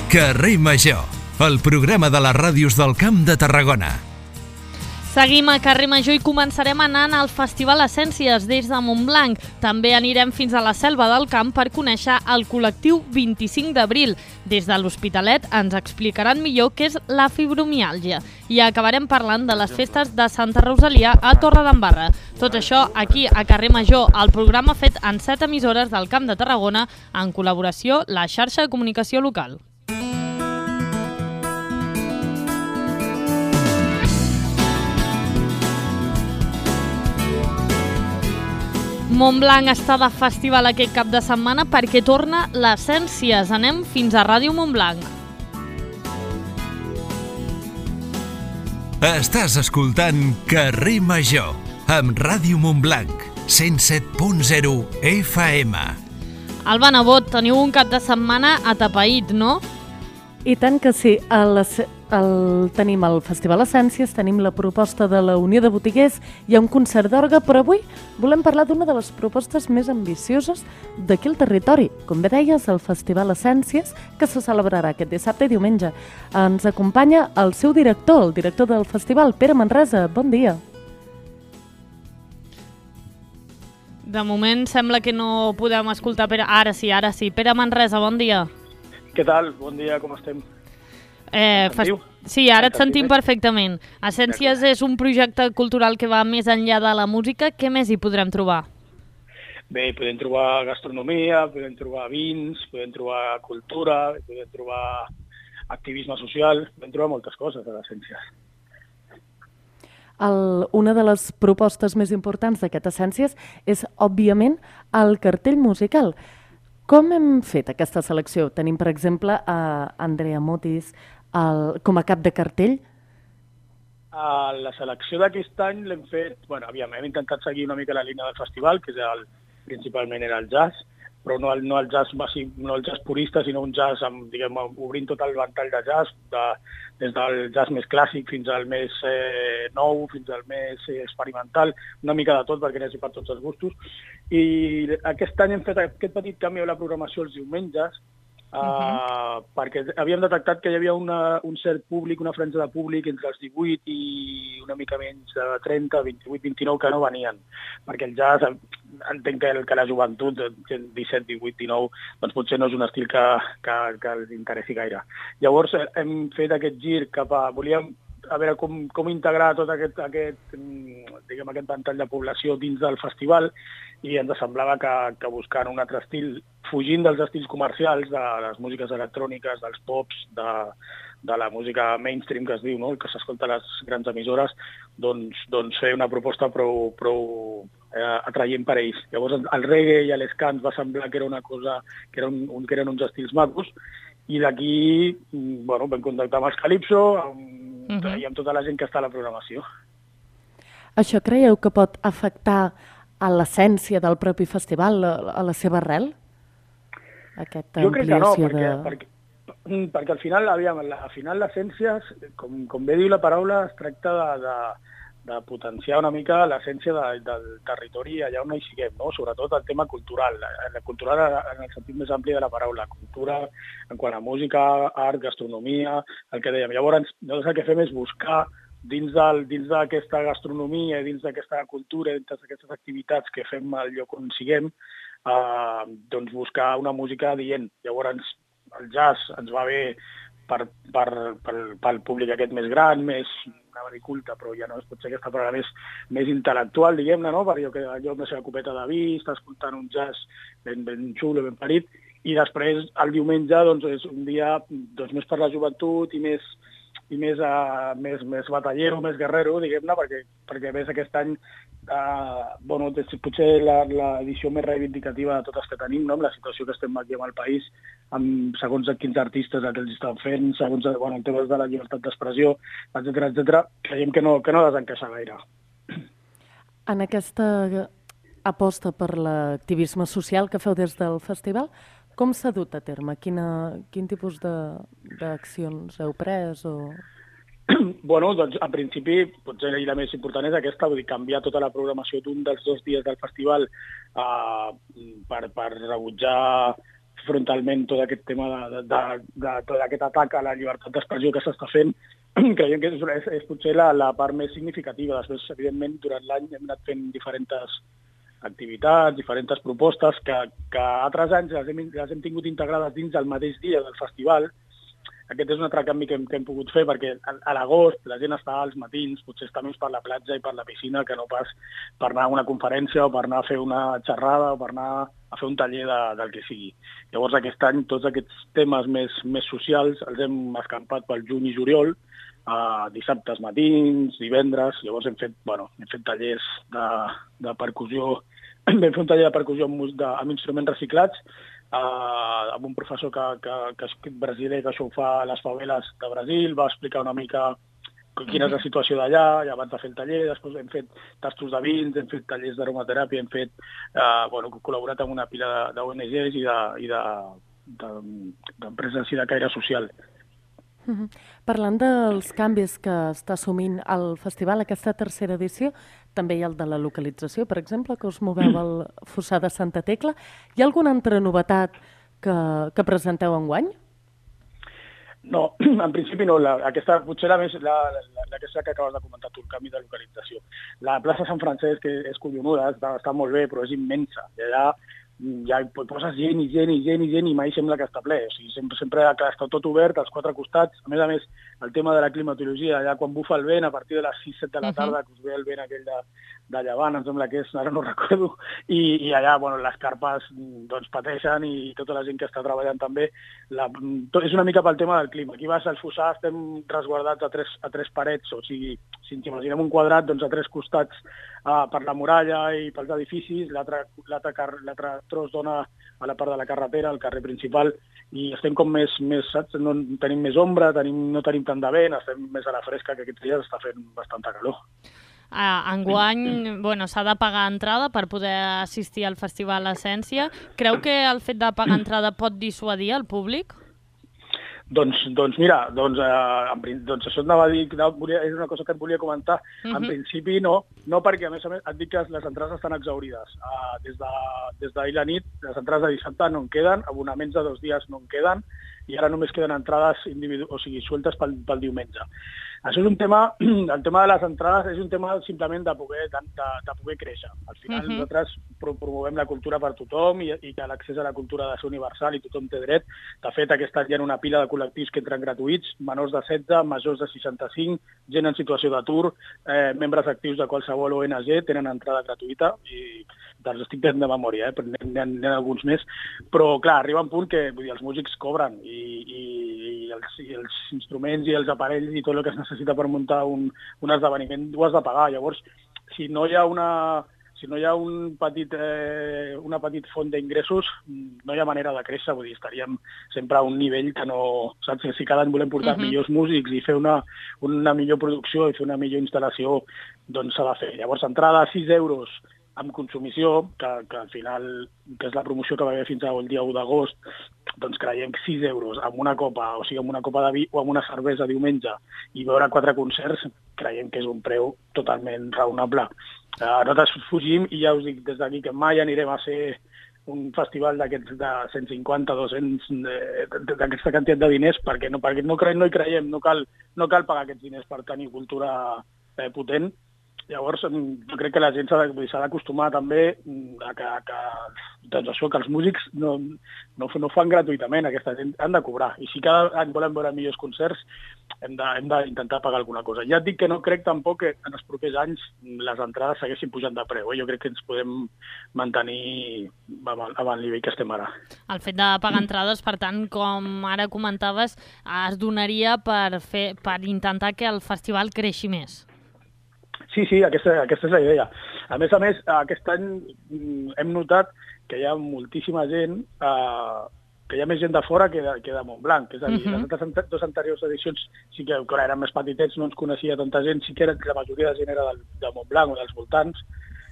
Carrer Major, el programa de les ràdios del Camp de Tarragona. Seguim a Carrer Major i començarem anant al Festival Essències des de Montblanc. També anirem fins a la Selva del Camp per conèixer el col·lectiu 25 d'abril. Des de l'Hospitalet ens explicaran millor què és la fibromiàlgia. I acabarem parlant de les festes de Santa Rosalia a Torredembarra. Tot això aquí a Carrer Major, el programa fet en 7 emissores del Camp de Tarragona en col·laboració la xarxa de comunicació local. Montblanc està de festival aquest cap de setmana perquè torna l'Essències. Anem fins a Ràdio Montblanc. Estàs escoltant Carrer Major amb Ràdio Montblanc, 107.0 FM. Alba Nebot, teniu un cap de setmana atapeït, no? I tant que sí. Tenim el Festival Essències, tenim la proposta de la Unió de Botiguers, hi ha un concert d'orgue, però avui volem parlar d'una de les propostes més ambicioses d'aquí al territori. Com bé deies, el Festival Essències, que se celebrarà aquest dissabte i diumenge. Ens acompanya el seu director, el director del festival, Pere Manresa. Bon dia. De moment sembla que no podem escoltar Pere. Ara sí. Pere Manresa, bon dia. Què tal? Bon dia, com estem? Sí, ara et sentim perfectament. Essències és un projecte cultural que va més enllà de la música. Què més hi podrem trobar? Bé, podem trobar gastronomia, podem trobar vins, podem trobar cultura, podem trobar activisme social, podem trobar moltes coses a l'Essències. Una de les propostes més importants d'aquest Essències és, òbviament, el cartell musical. Com hem fet aquesta selecció? Tenim, per exemple, a Andrea Motis com a cap de cartell. La selecció d'aquest any l'hem fet... hem intentat seguir una mica la línia del festival, que principalment era el jazz, però no el jazz purista, sinó un jazz obrint tot el ventall de jazz, des del jazz més clàssic fins al més nou, fins al més experimental, una mica de tot perquè n'hi hagi per tots els gustos. I aquest any hem fet aquest petit canvi a la programació els diumenges, perquè havíem detectat que hi havia un cert públic, una franja de públic entre els 18 i una mica menys de 30, 28, 29 que no venien, perquè el jazz, entenc que la joventut, 17, 18, 19, doncs potser no és un estil que els interessi gaire. Llavors hem fet aquest gir cap a... Volíem a veure com integrar tot aquest ventall de població dins del festival i ens semblava que buscant un altre estil, fugint dels estils comercials, de les músiques electròniques, dels pops, de la música mainstream que es diu, no? Que s'escolta a les grans emissores, doncs fer una proposta prou atraient per a ells. Llavors el reggae i l'escant va semblar que era una cosa, que eren uns estils macos, i d'aquí vam contactar amb els Calypso i amb tota la gent que està a la programació. Això creieu que pot afectar a l'essència del propi festival, a la seva arrel? Jo crec que no, perquè al final l'essència, com bé diu la paraula, es tracta de potenciar una mica l'essència del territori allà on hi siguem, no? Sobretot el tema cultural, cultural en el sentit més ampli de la paraula, cultura en quant a música, art, gastronomia, el que dèiem. Llavors, nosaltres el que fem és buscar dins d'aquesta gastronomia, dins d'aquesta cultura, dins d'aquestes activitats que fem al lloc on siguem, doncs buscar una música adient. Llavors, el jazz ens va bé pel públic aquest més gran, més culte, però ja no pot ser aquesta paraula més intel·lectual, diguem-ne, no? Perquè allò amb la seva copeta de vi, està escoltant un jazz ben xulo, ben parit, i després el diumenge és un dia més per la joventut i més batallero, més guerrero, diguem-ne, perquè ves aquest any potser l'edició més reivindicativa de totes que tenim, no? Amb la situació que estem aquí amb el país, segons quins artistes el que els estan fent, segons en temes de la llibertat d'expressió, etcètera, creiem que no desencaixa gaire. En aquesta aposta per l'activisme social que feu des del festival, com s'ha dut a terme? Quin tipus d'accions heu pres? Doncs en principi, potser la més important és aquesta, vull dir, canviar tota la programació d'un dels 2 dies del festival per rebutjar frontalment tot aquest tema d'aquest atac a la llibertat d'expressió que s'està fent. Creiem que és potser la part més significativa. Després, evidentment, durant l'any hem anat fent diferents activitats, diferents propostes que altres anys les hem tingut integrades dins del mateix dia del festival. Aquest és un altre canvi que hem pogut fer, perquè a l'agost la gent està als matins, potser està més per la platja i per la piscina que no pas per anar a una conferència o per anar a fer una xerrada o per anar a fer un taller del que sigui. Llavors aquest any tots aquests temes més socials els hem escampat pel juny i juliol, dissabtes matins, divendres. Llavors hem fet tallers de percussió, vam fer un taller de percussió amb instruments reciclats, amb un professor que brasiler que això ho fa a les faveles de Brasil, va explicar una mica quina és la situació d'allà, i abans de fer el taller, després hem fet tastos de vins, hem fet tallers d'aromateràpia, hem fet, col·laborat amb una pila d'ONGs i d'empreses de caire social. Parlant dels canvis que està assumint el festival, aquesta tercera edició, també hi ha el de la localització, per exemple, que us moveu al Fossar de Santa Tecla. Hi ha alguna altra novetat que presenteu enguany? No, en principi no. Aquesta potser la que acabes de comentar tu, el canvi de localització. La plaça Sant Francesc és collonuda, està molt bé, però és immensa. I allà ja poses gent i mai sembla que està ple. O sigui, sempre està tot obert als quatre costats. A més, el tema de la climatologia, allà quan bufa el vent, a partir de les 6-7 de la tarda, que us ve el vent aquell de llevant, em sembla que és, ara no recordo, i allà les carpes pateixen, i tota la gent que està treballant també. És una mica pel tema del clima. Aquí vas al Fossar, estem resguardats a tres parets, o sigui, si ens imaginem un quadrat, a tres costats per la muralla i pels edificis, l'altre tros dona a la part de la carretera, al carrer principal, i estem com més saps? No tenim més ombra, no tenim tant de vent, estem més a la fresca, que aquests dies està fent bastanta calor. Enguany s'ha de pagar entrada per poder assistir al Festival Essència. Creu que el fet de pagar entrada pot dissuadir el públic? Doncs mira, això anava a dir, és una cosa que et volia comentar. En principi no, perquè a més et dic que les entrades estan exhaurides. Des d'ahir la nit, les entrades de dissabte no en queden, abonaments de 2 dies no en queden, i ara només queden entrades sueltes pel diumenge. Això és un tema, el tema de les entrades és un tema simplement de poder créixer. Al final nosaltres promovem la cultura per tothom i que l'accés a la cultura ha de ser universal i tothom té dret. De fet, aquest any hi ha una pila de col·lectius que entren gratuïts, menors de 16, majors de 65, gent en situació d'atur, membres actius de qualsevol ONG tenen entrada gratuïta, i els estic fent de memòria, però n'hi ha alguns més. Però, clar, arriba un punt que els músics cobren i els instruments i els aparells i tot el que es necessita per muntar un esdeveniment ho has de pagar. Llavors, si no hi ha una petit font d'ingressos, no hi ha manera de créixer. Vull dir, estaríem sempre a un nivell que no... Saps? Si cada any volem portar millors músics i fer una millor producció i fer una millor instal·lació, doncs s'ha de fer. Llavors, entrada a 6 euros amb consumició, que al final, que és la promoció que va haver fins al dia 1 d'agost, doncs creiem que 6 euros amb una copa, o sigui, amb una copa de vi o amb una cervesa diumenge, i veure 4 concerts, creiem que és un preu totalment raonable. Nosaltres fugim, i ja us dic des d'aquí que mai anirem a ser un festival d'aquests de 150, 200, d'aquesta quantitat de diners, perquè no hi creiem, no cal pagar aquests diners per tenir cultura potent. Llavors, jo crec que la gent s'ha d'acostumar també que els músics no fan gratuïtament, aquesta gent han de cobrar. I si cada any volem veure millors concerts, hem d'intentar pagar alguna cosa. Ja et dic que no crec tampoc que en els propers anys les entrades segueixin pujant de preu. Jo crec que ens podem mantenir amb el nivell que estem ara. El fet de pagar entrades, per tant, com ara comentaves, es donaria per intentar que el festival creixi més. Sí, aquesta és la idea. A més, aquest any hem notat que hi ha moltíssima gent, que hi ha més gent de fora que de Montblanc. És a dir, les altres 2 anteriors edicions sí que eren més petitets, no ens coneixia tanta gent, sí que la majoria de gent era de Montblanc o dels voltants,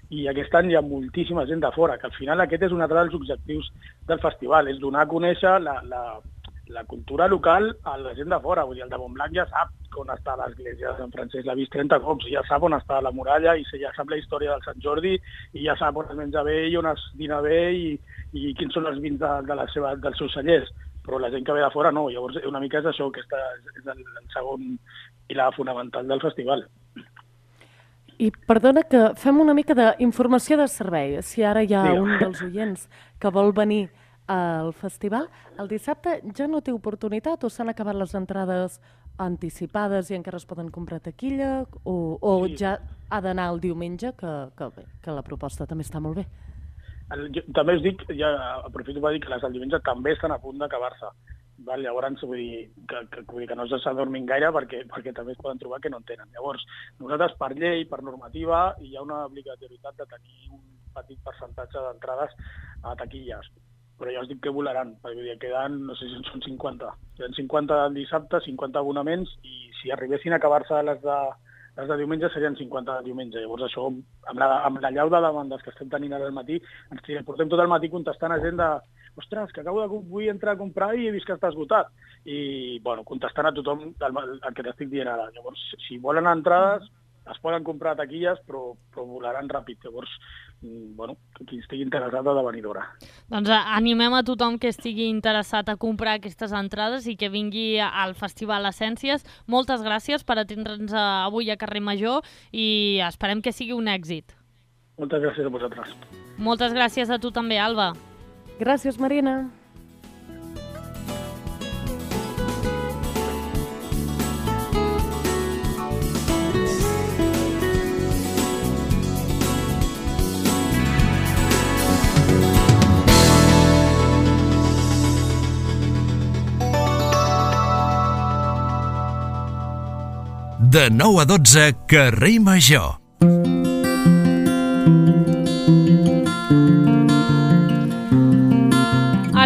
i aquest any hi ha moltíssima gent de fora, que al final aquest és un altre dels objectius del festival, és donar a conèixer la cultura local a la gent de fora. Vull dir, el de Montblanc ja sap on està l'església de Sant Francesc, l'ha vist 30 cops, ja sap on està la muralla, i ja sap la història del Sant Jordi, i ja sap on es menja bé i on es dina bé i quins són els vins dels seus cellers. Però la gent que ve de fora no. Llavors, una mica és això, que és el segon pilar fonamental del festival. I perdona que fem una mica d'informació de servei. Si ara hi ha un dels oients que vol venir al festival, el dissabte ja no té oportunitat o s'han acabat les entrades anticipades i encara es poden comprar taquilla o ja ha d'anar el diumenge, que la proposta també està molt bé. També us dic, ja aprofito per dir que les del diumenge també estan a punt d'acabar-se. Llavors, vull dir que no s'adormin gaire perquè també es poden trobar que no en tenen. Llavors, nosaltres per llei, per normativa, hi ha una obligatorietat de tenir un petit percentatge d'entrades a taquilles. Però ja us dic que volaran, perquè queden, no sé si són 50. Queden 50 el dissabte, 50 abonaments, i si arribessin a acabar-se les de diumenge serien 50 de diumenge. Llavors això, amb la llau de demandes que estem tenint ara al matí, ens portem tot el matí contestant a gent de ostres, que vull entrar a comprar i he vist que està esgotat. I, bueno, contestant a tothom el que t'estic dient ara. Llavors, si volen entrades, es poden comprar taquilles, però volaran ràpid. Llavors, bueno, qui estigui interessat ha de venir d'hora. Doncs animem a tothom que estigui interessat a comprar aquestes entrades i que vingui al Festival Essències. Moltes gràcies per atendre'ns avui a Carrer Major i esperem que sigui un èxit. Moltes gràcies a vosaltres. Moltes gràcies a tu també, Alba. Gràcies, Marina. De 9 a 12, Carrer Major.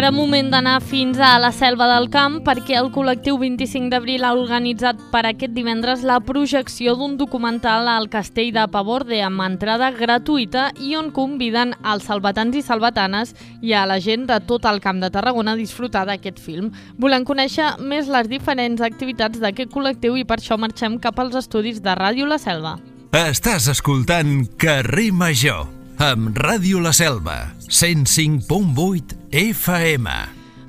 Ara moment d'anar fins a la Selva del Camp perquè el col·lectiu 25 d'abril ha organitzat per aquest divendres la projecció d'un documental al Castell de Paborde amb entrada gratuïta i on conviden als salvatans i salvatanes i a la gent de tot el Camp de Tarragona a disfrutar d'aquest film. Volem conèixer més les diferents activitats d'aquest col·lectiu i per això marxem cap als estudis de Ràdio La Selva. Estàs escoltant Carrer Major amb Ràdio La Selva, 105.8 FM.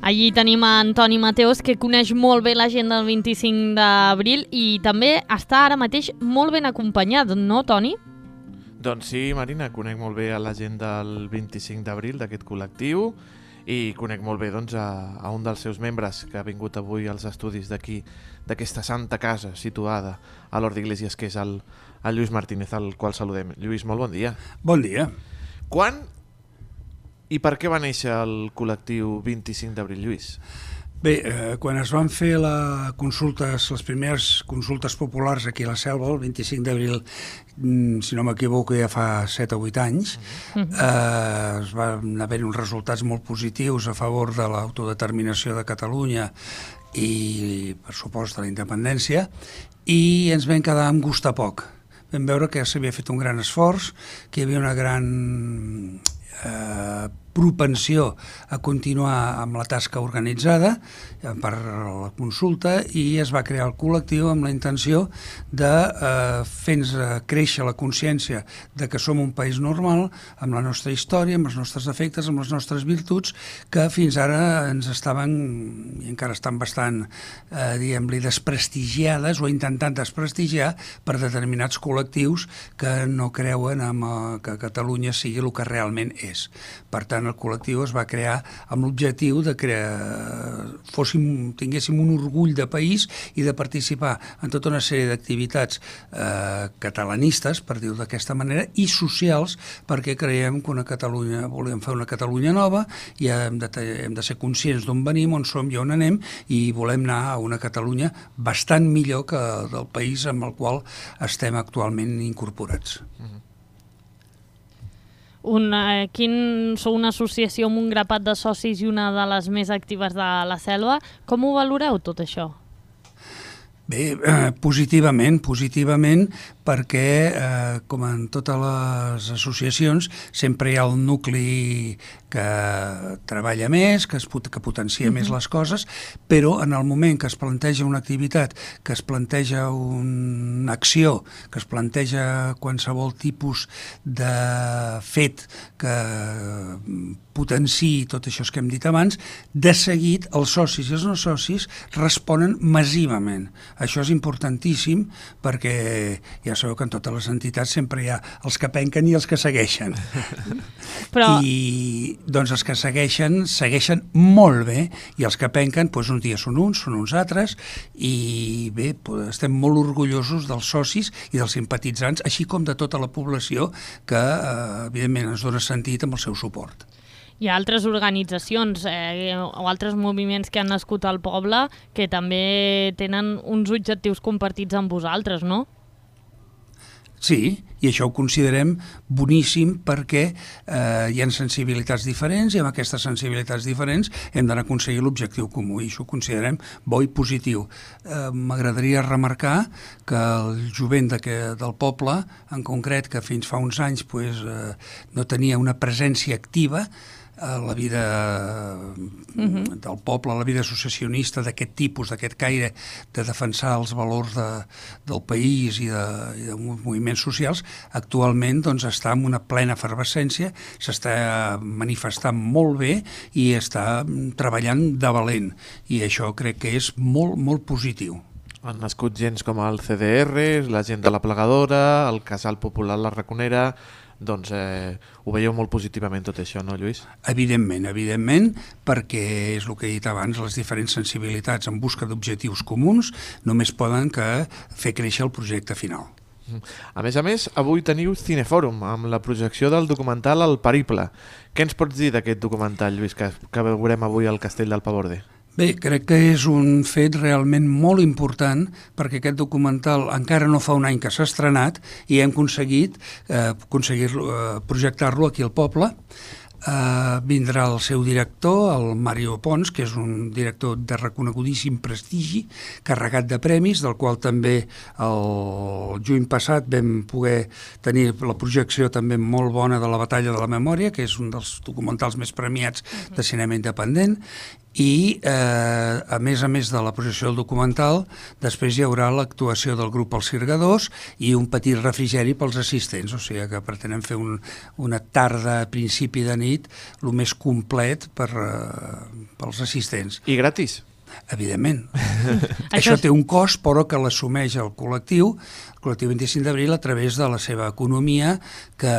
Allí tenim a Antoni Mateos, que coneix molt bé la gent del 25 d'abril i també està ara mateix molt ben acompanyat, no, Toni? Doncs sí, Marina, conec molt bé a la gent del 25 d'abril, d'aquest col·lectiu, i conec molt bé doncs, a un dels seus membres que ha vingut avui als estudis d'aquí, d'aquesta santa casa situada a l'Hort d'Iglesias, que és el Lluís Martínez, al qual saludem. Lluís, molt bon dia. Bon dia. Quan i per què va néixer el col·lectiu 25 d'abril, Lluís? Bé, quan es van fer les primeres consultes populars aquí a la Selva, el 25 d'abril, si no m'equivoco, ja fa 7 o 8 anys, es van haver uns resultats molt positius a favor de l'autodeterminació de Catalunya i, per supost, de la independència, i ens vam quedar amb gust a poc. Vam veure que s'havia fet un gran esforç, que hi havia una gran propensió a continuar amb la tasca organitzada per la consulta i es va crear el col·lectiu amb la intenció de fer-nos créixer la consciència de que som un país normal, amb la nostra història, amb els nostres defectes, amb les nostres virtuts, que fins ara ens estaven, i encara estan bastant, diguem-li, desprestigiades o intentant desprestigiar per determinats col·lectius que no creuen que Catalunya sigui el que realment és. Per tant, el col·lectiu es va crear amb l'objectiu de que tinguéssim un orgull de país i de participar en tota una sèrie d'activitats catalanistes, per dir-ho d'aquesta manera, i socials, perquè creiem que volem fer una Catalunya nova i hem de ser conscients d'on venim, on som i on anem, i volem anar a una Catalunya bastant millor que del país amb el qual estem actualment incorporats. Sou una associació amb un grapat de socis i una de les més actives de la Selva. Com ho valoreu tot això? Bé, positivament, perquè, com en totes les associacions, sempre hi ha el nucli que treballa més, que potencia més les coses, però en el moment que es planteja una activitat, que es planteja una acció, que es planteja qualsevol tipus de fet que potenciï tot això que hem dit abans, de seguit els socis i els no socis responen massivament. Això és importantíssim perquè ja sabeu que en totes les entitats sempre hi ha els que penquen i els que segueixen. Però... I doncs els que segueixen molt bé, i els que penquen doncs un dia són uns altres, i bé, estem molt orgullosos dels socis i dels simpatitzants, així com de tota la població que evidentment ens dona sentit amb el seu suport. Hi ha altres organitzacions o altres moviments que han nascut al poble que també tenen uns objectius compartits amb vosaltres, no? Sí, i això ho considerem boníssim perquè hi ha sensibilitats diferents i amb aquestes sensibilitats diferents hem d'anar a aconseguir l'objectiu comú i això ho considerem bo i positiu. M'agradaria remarcar que el jovent del poble, en concret, que fins fa uns anys no tenia una presència activa a la vida del poble, a la vida associacionista d'aquest tipus, d'aquest caire de defensar els valors del país i de moviments socials, actualment està en una plena efervescència, s'està manifestant molt bé i està treballant de valent, i això crec que és molt, molt positiu. Han nascut gens com el CDR, la gent de la Plegadora, el Casal Popular La Raconera. Doncs ho veieu molt positivament tot això, no, Lluís? Evidentment, perquè és el que he dit abans, les diferents sensibilitats en busca d'objectius comuns només poden fer créixer el projecte final. A més, avui teniu Cinefòrum amb la projecció del documental El Periple. Què ens pots dir d'aquest documental, Lluís, que veurem avui al Castell del Paborde? Bé, crec que és un fet realment molt important perquè aquest documental encara no fa un any que s'ha estrenat i hem aconseguit projectar-lo aquí al poble. Vindrà el seu director, el Mario Pons, que és un director de reconegudíssim prestigi, carregat de premis, del qual també el juny passat vam poder tenir la projecció també molt bona de La Batalla de la Memòria, que és un dels documentals més premiats de cinema independent, i a més de la projecció del documental després hi haurà l'actuació del grup Els Sirgadors i un petit refrigeri pels assistents, o sigui que pretenem fer una tarda a principi de nit el més complet pels assistents. I gratis? Evidentment. Això té un cost, però que l'assumeix el col·lectiu 25 d'Abril, a través de la seva economia, que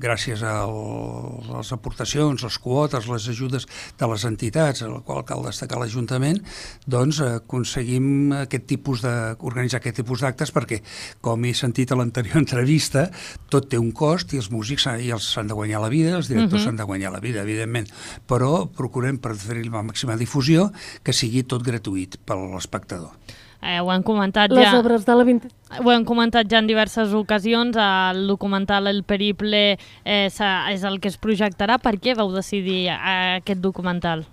gràcies a les aportacions, les quotes, les ajudes de les entitats, a la qual cal destacar l'Ajuntament, doncs aconseguim organitzar aquest tipus d'actes perquè, com he sentit a l'anterior entrevista, tot té un cost i els músics s'han de guanyar la vida, els directors s'han de guanyar la vida, evidentment, però procurem per fer-hi la màxima difusió que sigui tot gratuït per a l'espectador. Ho hem comentat Les obres de la 20... Ho hem comentat ja en diverses ocasions, el documental El Periple és el que es projectarà. Per què vau decidir aquest documental?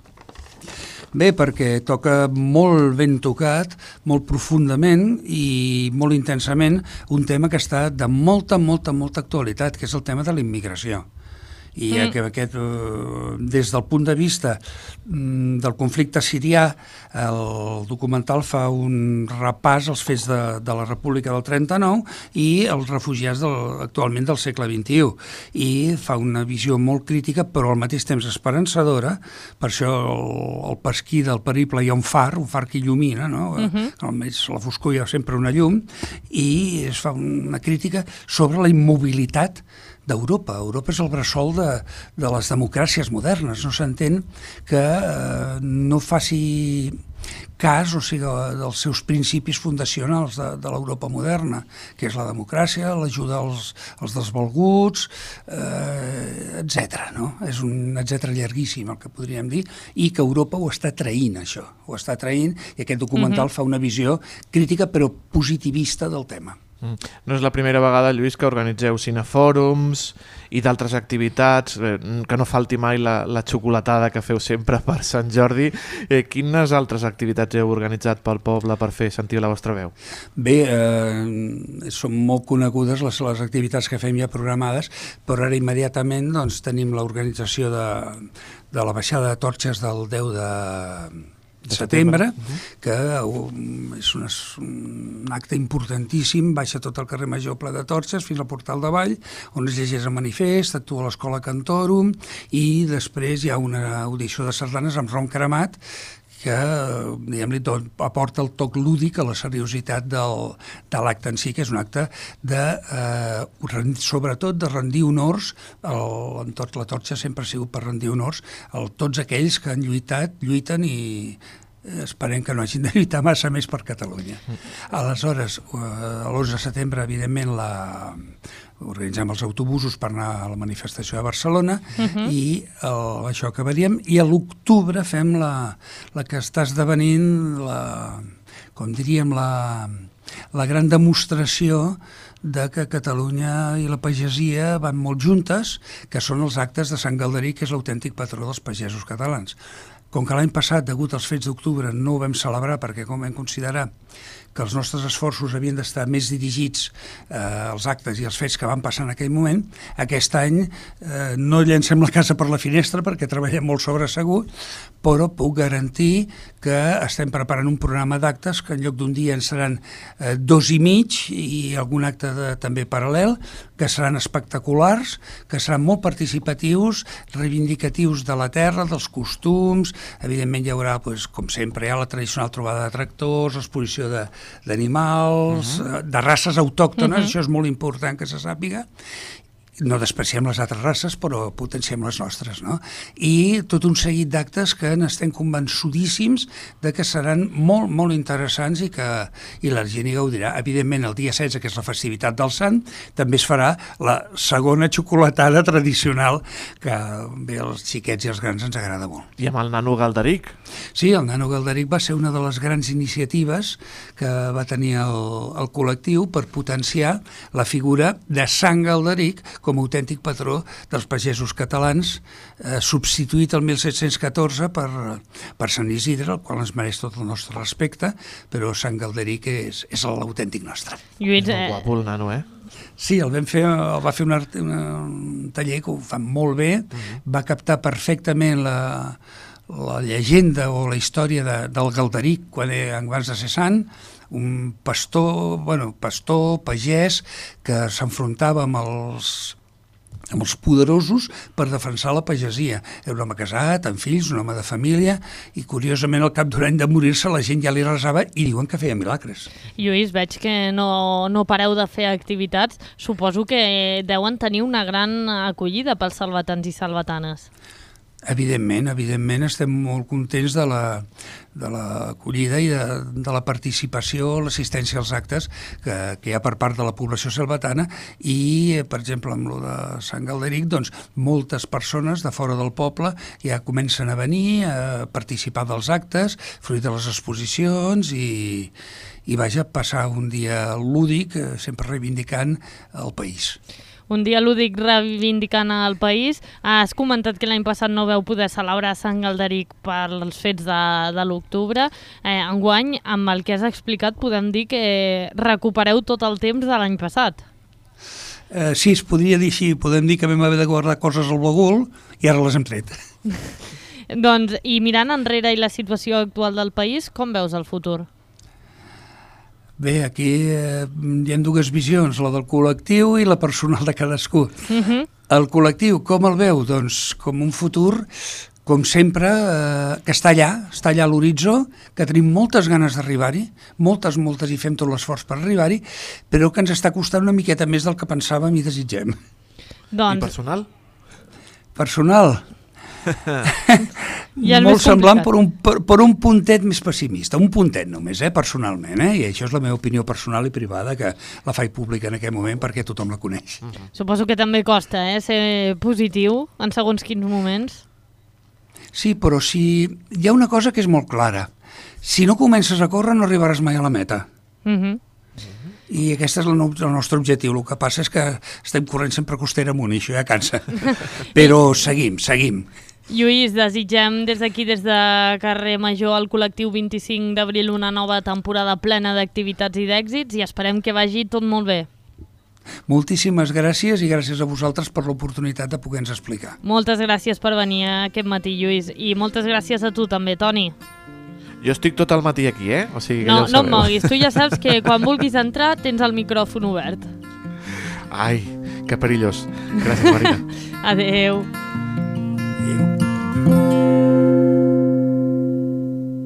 Bé, perquè toca molt ben tocat, molt profundament i molt intensament un tema que està de molta actualitat, que és el tema de la immigració. I des del punt de vista del conflicte sirià, el documental fa un repàs als fets de la República del 39 i els refugiats actualment del segle XXI, i fa una visió molt crítica però al mateix temps esperançadora. Per això al pesquí del Periple hi ha un far que il·lumina, no? Almenys la foscor hi ha sempre una llum, i es fa una crítica sobre la immobilitat d'Europa. Europa és el bressol de les democràcies modernes. No s'entén que no faci cas, o sigui, dels seus principis fundacionals de l'Europa moderna, que és la democràcia, l'ajuda als desvalguts, etc. És un etcètera llarguíssim, el que podríem dir, i que Europa ho està traint, això. Ho està traint, i aquest documental fa una visió crítica però positivista del tema. No és la primera vegada, Lluís, que organitzeu cinefòrums i d'altres activitats, que no falti mai la xocolatada que feu sempre per Sant Jordi. Quines altres activitats heu organitzat pel poble per fer sentir la vostra veu? Bé, són molt conegudes les activitats que fem ja programades, però ara immediatament doncs, tenim l'organització de la baixada de torxes del 10 de setembre, que és un acte importantíssim, baixa tot el carrer Major ple de torxes fins al Portal de Vall, on es llegeix el manifest, actua l'Escola Cantorum i després hi ha una audició de sardanes amb rom cremat que diguem-li aporta el toc lúdic a la seriositat de l'acte en si, que és un acte sobretot de rendir honors, la torxa sempre ha sigut per rendir honors a tots aquells que han lluiten i esperem que no hagin de lluitar massa més per Catalunya. Aleshores, l'11 de setembre, evidentment, organitzem els autobusos per anar a la manifestació de Barcelona i això acabaríem. I a l'octubre fem la que està esdevenint, com diríem, la gran demostració de que Catalunya i la pagesia van molt juntes, que són els actes de Sant Galderic, que és l'autèntic patró dels pagesos catalans. Com que l'any passat, degut als fets d'octubre, no ho vam celebrar perquè com vam considerar que els nostres esforços havien d'estar més dirigits als actes i als fets que van passar en aquell moment, aquest any no llancem la casa per la finestra perquè treballem molt sobresegut, però puc garantir que estem preparant un programa d'actes que en lloc d'un dia en seran 2 i mig i algun acte també paral·lel, que seran espectaculars, que seran molt participatius, reivindicatius de la terra, dels costums. Evidentment hi haurà, com sempre, la tradicional trobada de tractors, l'exposició d'animals, de races autòctones, això és molt important que se sàpiga. No despreciem les altres races, però potenciem les nostres, no? I tot un seguit d'actes que n'estem convençudíssims de que seran molt, molt interessants i la gent hi gaudirà. Evidentment, el dia 16, que és la festivitat del Sant, també es farà la segona xocolatada tradicional que bé als xiquets i als grans ens agrada molt. I amb el nano Galderic? Sí, el nano Galderic va ser una de les grans iniciatives que va tenir el col·lectiu per potenciar la figura de Sant Galderic com a autèntic patró dels pagesos catalans, substituït el 1714 per Sant Isidre, el qual ens mereix tot el nostre respecte, però Sant Galderic és l'autèntic nostre. Lluís, molt guapo el nano, Sí, el va fer un taller que ho fan molt bé, va captar perfectament la llegenda o la història del Galderic abans de ser sant, un pastor, pagès, que s'enfrontava amb els poderosos per defensar la pagesia. Era un home casat, amb fills, un home de família, i curiosament al cap d'un any de morir-se la gent ja li resava i diuen que feia milagres. Lluís, veig que no pareu de fer activitats. Suposo que deuen tenir una gran acollida pels salvatans i salvatanes. Evidentment, estem molt contents de l'acollida i de la participació, l'assistència als actes que hi ha per part de la població salvatana i, per exemple, amb lo de Sant Galderic, doncs, moltes persones de fora del poble ja comencen a venir a participar dels actes, fruit de les exposicions i passar un dia lúdic, sempre reivindicant el país. Un dia lúdic reivindicant el país. Has comentat que l'any passat no veu poder celebrar Sant Galderic per als fets de l'octubre. Enguany, amb el que has explicat, podem dir que recupereu tot el temps de l'any passat. Sí, es podria dir així. Podem dir que vam haver de guardar coses al bagul i ara les hem tret. Doncs, i mirant enrere i la situació actual del país, com veus el futur? Bé, aquí hi ha dues visions, la del col·lectiu i la personal de cadascú. El col·lectiu, com el veu? Doncs com un futur, com sempre, que està allà a l'horitzó, que tenim moltes ganes d'arribar-hi, moltes, i fem tot l'esforç per arribar-hi, però que ens està costant una miqueta més del que pensàvem i desitgem. Doncs... I personal? Personal? Molt semblant per un puntet més pessimista, un puntet només, personalment, i això és la meva opinió personal i privada, que la faig pública en aquest moment perquè tothom la coneix. Suposo que també costa ser positiu en segons quins moments. Sí, però hi ha una cosa que és molt clara. Si no comences a córrer no arribaràs mai a la meta. I aquest és el nostre objectiu. El que passa és que estem corrent sempre costera amunt i això ja cansa. Però seguim. Lluís, desitgem des d'aquí, des de Carrer Major, al col·lectiu 25 d'abril, una nova temporada plena d'activitats i d'èxits i esperem que vagi tot molt bé. Moltíssimes gràcies i gràcies a vosaltres per l'oportunitat de poder-nos explicar. Moltes gràcies per venir aquest matí, Lluís, i moltes gràcies a tu també, Toni. Jo estic tot el matí aquí, O sigui que no, ja ho no sabeu. em moguis, tu ja saps que quan vulguis entrar tens el micròfon obert. Ai, que perillós. Gràcies, Marina. Adeu.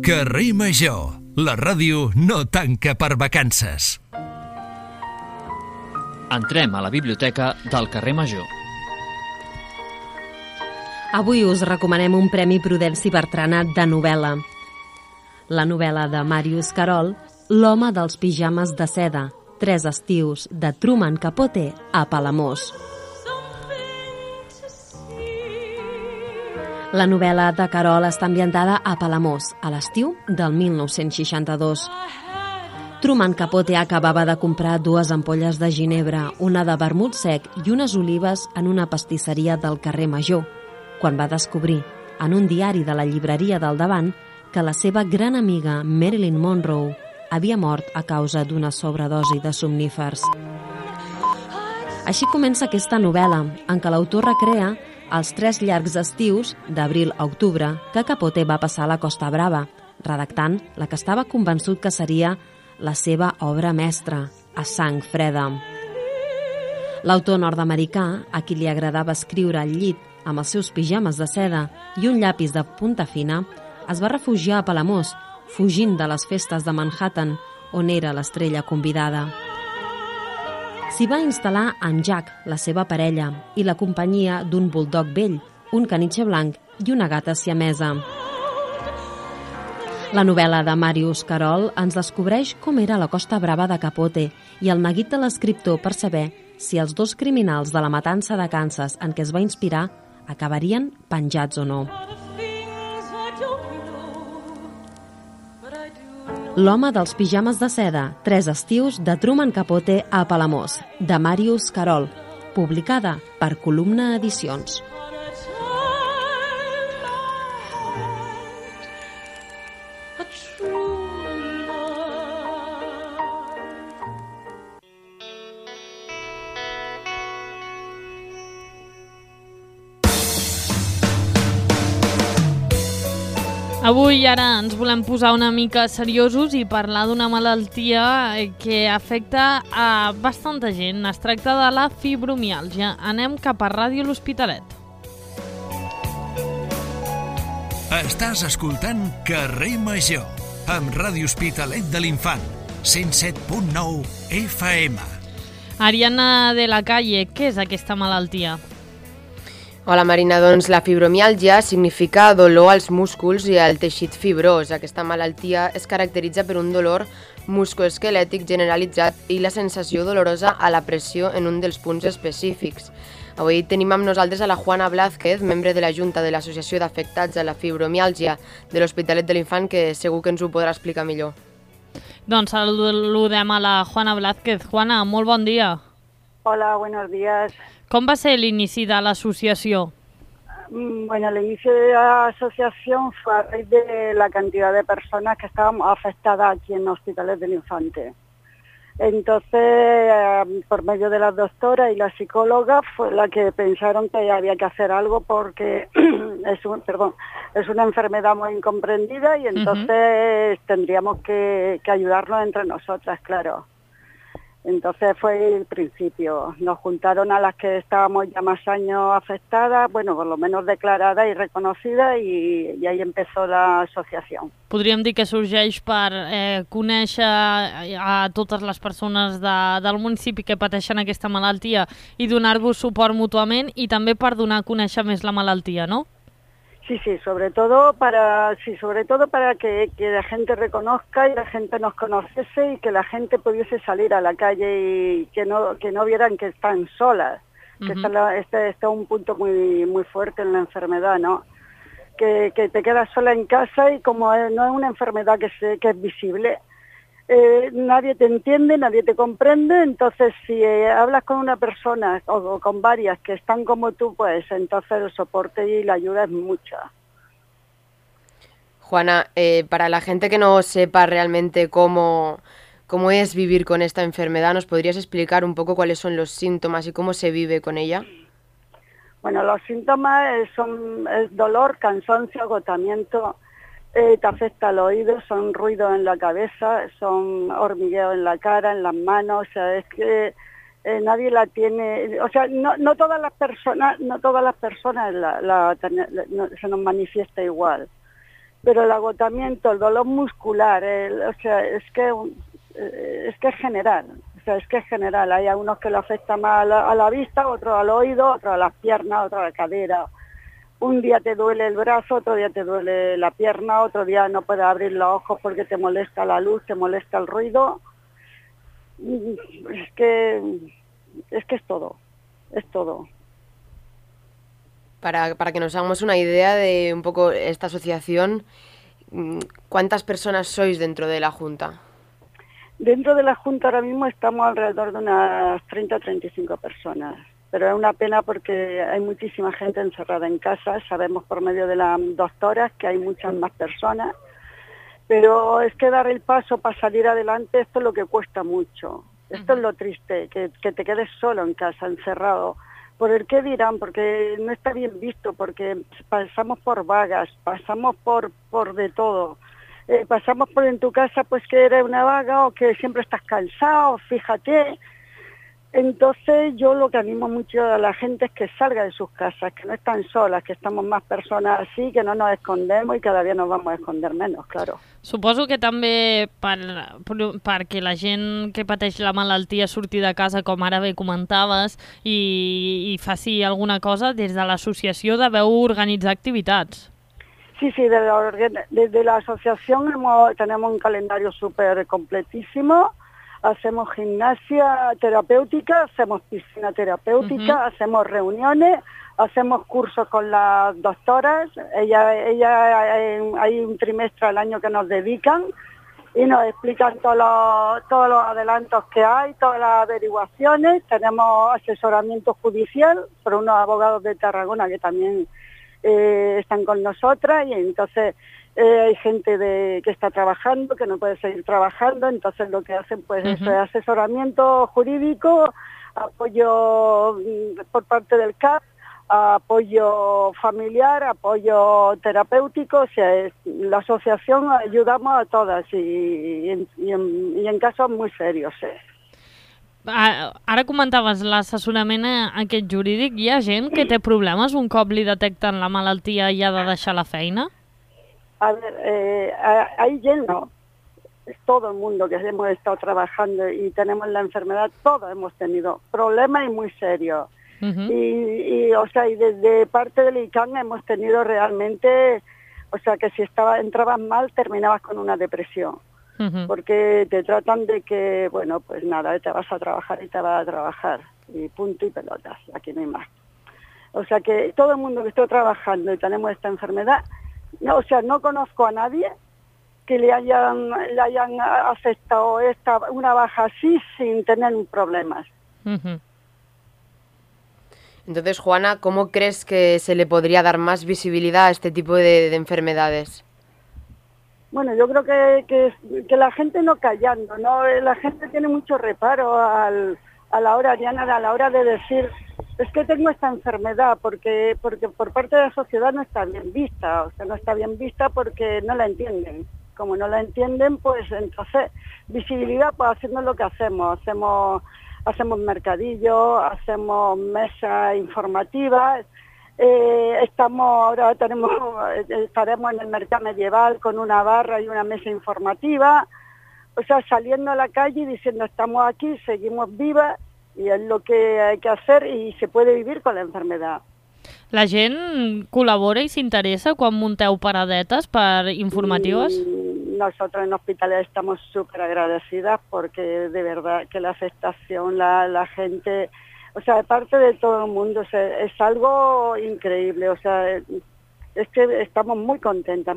Carrer Major, la ràdio no tanca per vacances. Entrem a la biblioteca del carrer Major. Avui us recomanem un Premi Prudenci Bertrana de novel·la. La novel·la de Màrius Carol, L'home dels pijames de seda, 3 estius, de Truman Capote a Palamós. La novel·la de Carol està ambientada a Palamós, a l'estiu del 1962. Truman Capote acabava de comprar 2 ampolles de ginebra, una de vermut sec i unes olives en una pastisseria del carrer Major, quan va descobrir, en un diari de la llibreria del davant, que la seva gran amiga Marilyn Monroe havia mort a causa d'una sobredosi de somnífers. Així comença aquesta novel·la, en què l'autor recrea els 3 llargs estius, d'abril a octubre, que Capote va passar a la Costa Brava, redactant la que estava convençut que seria la seva obra mestra, A sang freda. L'autor nord-americà, a qui li agradava escriure al llit amb els seus pijames de seda i un llapis de punta fina, es va refugiar a Palamós, fugint de les festes de Manhattan, on era l'estrella convidada. S'hi va instal·lar en Jack, la seva parella, i la companyia d'un buldog vell, un canitxe blanc i una gata siamesa. La novel·la de Màrius Carol ens descobreix com era la Costa Brava de Capote i el neguit de l'escriptor per saber si els 2 criminals de la matança de Kansas en què es va inspirar acabarien penjats o no. L'home dels pijames de seda, 3 estius, de Truman Capote a Palamós, de Màrius Carol, publicada per Columna Edicions. Avui ara ens volem posar una mica seriosos i parlar d'una malaltia que afecta a bastanta gent. Es tracta de la fibromiàlgia. Anem cap a Ràdio L'Hospitalet. Estàs escoltant Carrer Major, amb Ràdio Hospitalet de l'Infant, 107.9 FM. Ariana de la Calle, què és aquesta malaltia? Hola Marina, doncs la fibromiàlgia significa dolor als músculs i al teixit fibrós. Aquesta malaltia es caracteritza per un dolor musculoesquelètic generalitzat i la sensació dolorosa a la pressió en un dels punts específics. Avui tenim amb nosaltres a la Juana Blázquez, membre de la Junta de l'Associació d'Afectats a la Fibromiàlgia de l'Hospitalet de l'Infant, que segur que ens ho podrà explicar millor. Doncs saludem a la Juana Blázquez. Juana, molt bon dia. Hola, buenos días. Com va ser l'inici de l'associació? Bueno, el inicio de la asociación fue a raíz de la cantidad de personas que estábamos afectadas aquí en Hospitalet del Infante. Entonces, por medio de las doctoras y la psicóloga, fue la que pensaron que había que hacer algo porque es una enfermedad muy incomprendida y entonces tendríamos que ayudarnos entre nosotras, claro. Entonces fue el principio. Nos juntaron a las que estábamos ya más años afectadas, bueno, por lo menos declaradas y reconocidas, y ahí empezó la asociación. Podríem dir que sorgeix per conèixer a totes les persones del municipi que pateixen aquesta malaltia i donar-vos suport mútuament i també per donar a conèixer més la malaltia, no? Sí, sobre todo para que la gente reconozca y la gente nos conociese y que la gente pudiese salir a la calle y que no vieran que están solas, que está un punto muy muy fuerte en la enfermedad, ¿no? Que te quedas sola en casa y como no es una enfermedad que es visible, nadie te entiende, nadie te comprende, entonces si hablas con una persona o con varias que están como tú, pues entonces el soporte y la ayuda es mucha. Juana, para la gente que no sepa realmente cómo es vivir con esta enfermedad, ¿nos podrías explicar un poco cuáles son los síntomas y cómo se vive con ella? Bueno, los síntomas es dolor, cansancio, agotamiento, te afecta al oído, son ruidos en la cabeza, son hormigueo en la cara, en las manos, o sea, es que nadie la tiene, o sea, no todas las personas se nos manifiesta igual, pero el agotamiento, el dolor muscular, o sea, es que es general. O sea, es que es general, hay algunos que lo afecta más a la vista, otros al oído, otros a las piernas, otros a la cadera. Un día te duele el brazo, otro día te duele la pierna, otro día no puedes abrir los ojos porque te molesta la luz, te molesta el ruido. Es que es todo, es todo. Para que nos hagamos una idea de un poco esta asociación, ¿cuántas personas sois dentro de la Junta? Dentro de la Junta ahora mismo estamos alrededor de unas 30 o 35 personas, pero es una pena porque hay muchísima gente encerrada en casa, sabemos por medio de las doctoras que hay muchas más personas, pero es que dar el paso para salir adelante, esto es lo que cuesta mucho, esto es lo triste, que te quedes solo en casa, encerrado. ¿Por el qué dirán? Porque no está bien visto, porque pasamos por vagas, pasamos por de todo. Pasamos por en tu casa pues que eres una vaga o que siempre estás cansado, fíjate. Entonces yo lo que animo mucho a la gente es que salga de sus casas, que no están solas, que estamos más personas así, que no nos escondemos i cada dia nos vamos a esconder menos, claro. Suposo que també perquè la gent que pateix la malaltia surti de casa, com ara bé comentaves, i faci alguna cosa, des de l'associació deveu organitzar activitats. Sí, desde la asociación tenemos un calendario súper completísimo, hacemos gimnasia terapéutica, hacemos piscina terapéutica, hacemos reuniones, hacemos cursos con las doctoras, hay un trimestre al año que nos dedican y nos explican todos los adelantos que hay, todas las averiguaciones, tenemos asesoramiento judicial por unos abogados de Tarragona que también están con nosotras y entonces hay gente que está trabajando, que no puede seguir trabajando, entonces lo que hacen pues eso es asesoramiento jurídico, apoyo por parte del CAP, apoyo familiar, apoyo terapéutico, o sea, la asociación ayudamos a todas y en casos muy serios. Ara comentaves l'assessorament aquest jurídic. Hi ha gent que té problemes un cop li detecten la malaltia i ha de deixar la feina? A ver, hay gente, no. Todo el mundo que hemos estado trabajando y tenemos la enfermedad, todos hemos tenido problemas y muy serios. Y desde parte del ICANN hemos tenido realmente, o sea, que si entrabas mal terminabas con una depresión. Porque te tratan de que, bueno, pues nada, te vas a trabajar y te vas a trabajar, y punto y pelotas, aquí no hay más. O sea que todo el mundo que esté trabajando y tenemos esta enfermedad, no conozco a nadie que le hayan afectado una baja así sin tener problemas. Entonces, Juana, ¿cómo crees que se le podría dar más visibilidad a este tipo de enfermedades? Bueno, yo creo que la gente no callando, ¿no? La gente tiene mucho reparo a la hora, Diana, a la hora de decir, es que tengo esta enfermedad, porque por parte de la sociedad no está bien vista, o sea, no está bien vista porque no la entienden. Como no la entienden, pues entonces, visibilidad, pues haciendo lo que hacemos mercadillo, hacemos mesas informativas. Estaremos en el mercado medieval con una barra y una mesa informativa, o sea, saliendo a la calle y diciendo estamos aquí, seguimos vivas y es lo que hay que hacer y se puede vivir con la enfermedad. La gent col·labora i s'interessa quan munteu paradetes per informatives? Nosotros en Hospitalet estamos súper agradecidas porque de verdad que la aceptación, la gente... O sea, de parte de todo el mundo, o sea, es algo increíble, o sea, es que estamos muy contentas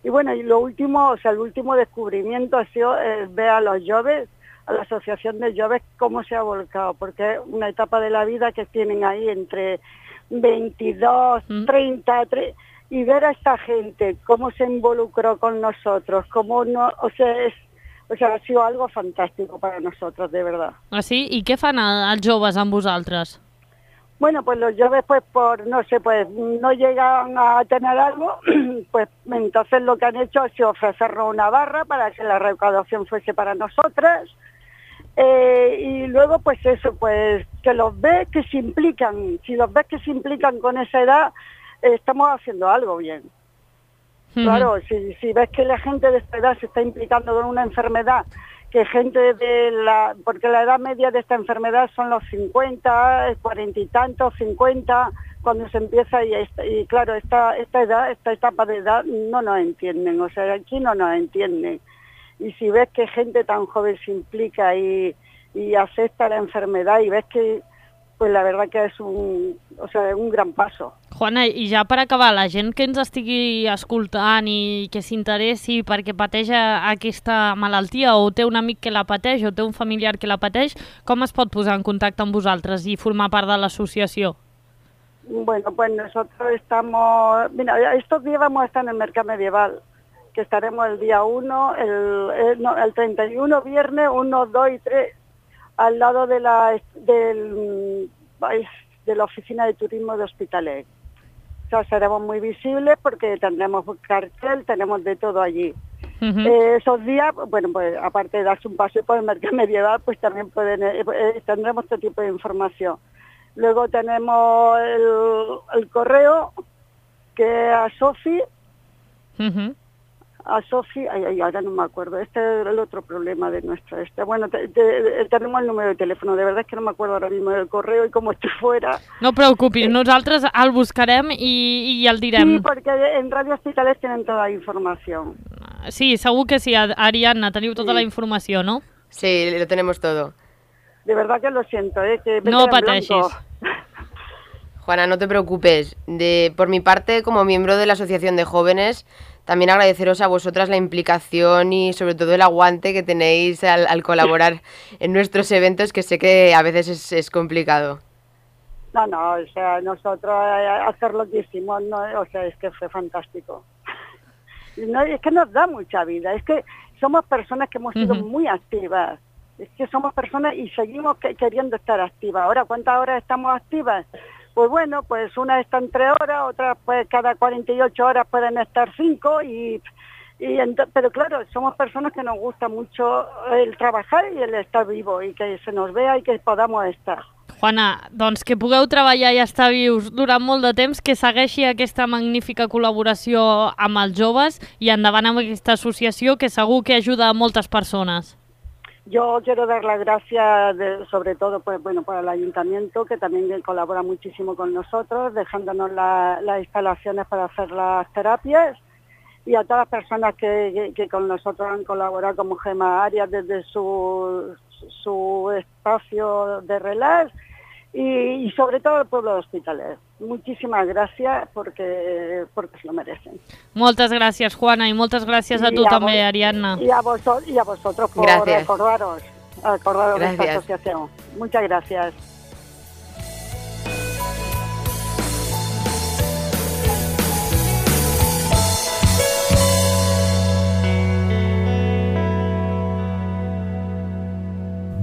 Y bueno, y lo último, o sea, el último descubrimiento ha sido ver a los jóvenes, a la Asociación de Jóvenes, cómo se ha volcado, porque es una etapa de la vida que tienen ahí entre 22, 30, y ver a esta gente, cómo se involucró con nosotros, cómo no, o sea, ha sido algo fantástico para nosotros, de verdad. Ah, sí? I què fan els joves amb vosaltres? Bueno, pues los jóvenes, pues no sé, pues no llegan a tener algo, pues entonces lo que han hecho ha sido ofrecernos una barra para que la recaudación fuese para nosotras, y luego pues eso, pues que los ves que se implican, si los ves que se implican con esa edad, estamos haciendo algo bien. Claro, si ves que la gente de esta edad se está implicando con una enfermedad, que gente porque la edad media de esta enfermedad son los 50, 40 y tantos, 50, cuando se empieza, y claro, esta etapa de edad no nos entienden, o sea, aquí no nos entienden. Y si ves que gente tan joven se implica y acepta la enfermedad, y ves que, pues la verdad que es un gran paso. Juana, i ja per acabar, la gent que ens estigui escoltant i que s'interessi perquè pateix aquesta malaltia o té un amic que la pateix o té un familiar que la pateix, com es pot posar en contacte amb vosaltres i formar part de l'associació? Bueno, pues nosotros estamos... Mira, estos días vamos a estar en el Mercado Medieval, que estaremos el día 1, el 31, viernes, 1, 2 y 3, al lado de la oficina de turismo de Hospitalet. O sea, seremos muy visibles porque tendremos cartel, tenemos de todo allí. Esos días, bueno, pues aparte de darse un paseo por el Mercado Medieval, pues también tendremos este tipo de información. Luego tenemos el correo, que a Sofi, ahora no me acuerdo, este es el otro problema de nuestro. Bueno, tenemos el número de teléfono, de verdad es que no me acuerdo ahora mismo del correo y como estoy fuera. No preocupis, nosaltres el buscarem i el direm. Sí, porque en Radio Hospitalet tienen toda la información. Sí, segur que sí, Ariadna, teniu tota la informació, no? Sí, lo tenemos todo. De verdad que lo siento, que no pateixis. Juana, no te preocupes. Por mi parte, como miembro de la Asociación de Jóvenes, también agradeceros a vosotras la implicación y sobre todo el aguante que tenéis al colaborar en nuestros eventos, que sé que a veces es complicado. No, o sea, nosotros hacer lo que hicimos, no, o sea, es que fue fantástico. No, es que nos da mucha vida, es que somos personas que hemos sido muy activas, es que somos personas y seguimos queriendo estar activas. Ahora, ¿cuántas horas estamos activas? Pues bueno, pues unas están 3 horas, otras pues cada 48 horas pueden estar 5, pero claro, somos personas que nos gusta mucho el trabajar y el estar vivo y que se nos vea y que podamos estar. Juana, doncs que pugueu treballar i estar vius durant molt de temps, que segueixi aquesta magnífica col·laboració amb els joves i endavant amb aquesta associació que segur que ajuda a moltes persones. Yo quiero dar las gracias sobre todo pues bueno, para el ayuntamiento, que también colabora muchísimo con nosotros, dejándonos las instalaciones para hacer las terapias, y a todas las personas que con nosotros han colaborado, como Gemma Arias desde su espacio de relax, y sobre todo el pueblo de Hospitalet. Muchísimas gracias porque se lo merecen. Moltes gràcies, Juana, i moltes gràcies a tu també, Ariadna. Y a vosotros por recordaros de esta asociación. Muchas gracias.